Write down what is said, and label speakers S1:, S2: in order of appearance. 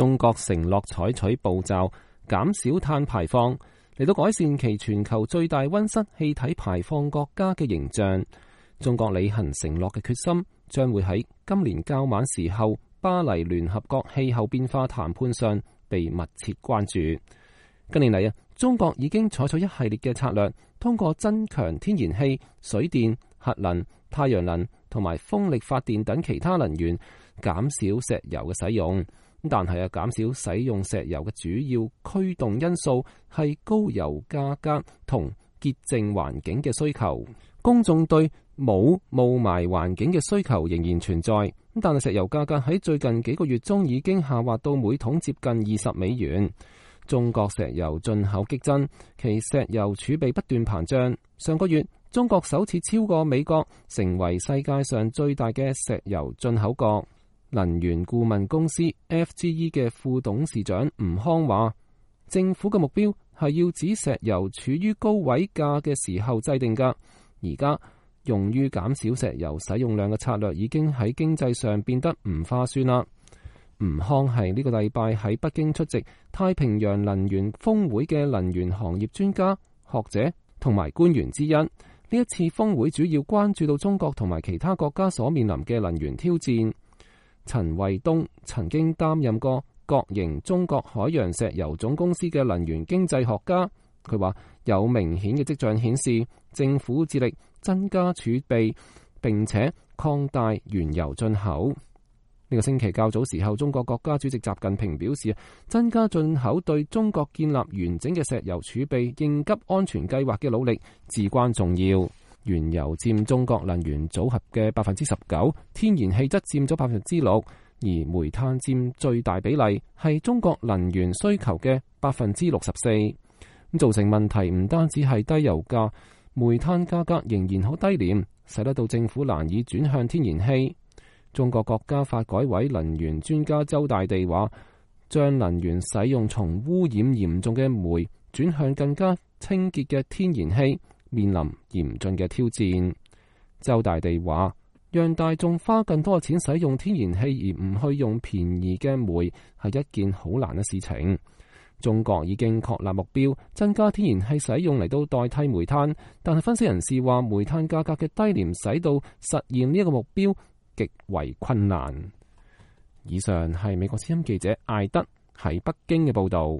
S1: 中國承諾採取步驟減少碳排放，嚟到改善其全球最大溫室氣體排放國家嘅形象。中國履行承諾嘅決心將會喺今年較晚時候巴黎聯合國氣候變化談判上被密切關注。近年嚟中國已經採取一系列嘅策略，通過增強天然氣、水電、核能、太陽能同埋風力發電等其他能源，減少石油嘅使用。但係減少使用石油嘅主要驅動因素係高油價格同潔淨環境嘅需求。公眾對冇霧霾環境嘅需求仍然存在，但係石油價格喺最近幾個月中已經下滑到每桶接近$20。中國石油進口激增，其石油儲備不斷膨脹。上個月，中國首次超過美國，成為世界上最大嘅石油進口國。能源顧問公司 FGE 嘅副董事長吳康話，政府嘅目標係要指石油處於高位價嘅時候制定㗎。而家用於減少石油使用量嘅策略已經喺經濟上變得唔划算啦。吳康係呢個禮拜喺北京出席太平洋能源峰會嘅能源行業專家、學者同埋官員之一。呢一次峰會主要關注到中國同埋其他國家所面臨嘅能源挑戰。陳衛東曾經擔任過國營中國海洋石油總公司嘅能源經濟學家，佢話有明顯嘅跡象顯示，政府致力增加儲備並且擴大原油進口。呢個星期較早時候，中國國家主席習近平表示，增加進口對中國建立完整嘅石油儲備應急安全計劃嘅努力至關重要。原油佔中國能源組合嘅19%，天然氣則佔咗6%，而煤炭佔最大比例，係中國能源需求嘅64%。造成問題唔單止係低油價，煤炭價格仍然好低廉，使得到政府難以轉向天然氣。中國國家發改委能源專家周大地話，將能源使用從污染嚴重嘅煤轉向更加清潔嘅天然氣，面臨嚴峻嘅挑戰。周大地話，讓大眾花更多嘅錢使用天然氣而唔去用便宜嘅煤係一件好難嘅事情。中國已經確立目標，增加天然氣使用嚟到代替煤炭，但係分析人士話，煤炭價格嘅低廉使到實現呢一個目標極為困難。以上係美國之音記者艾德喺北京嘅報道。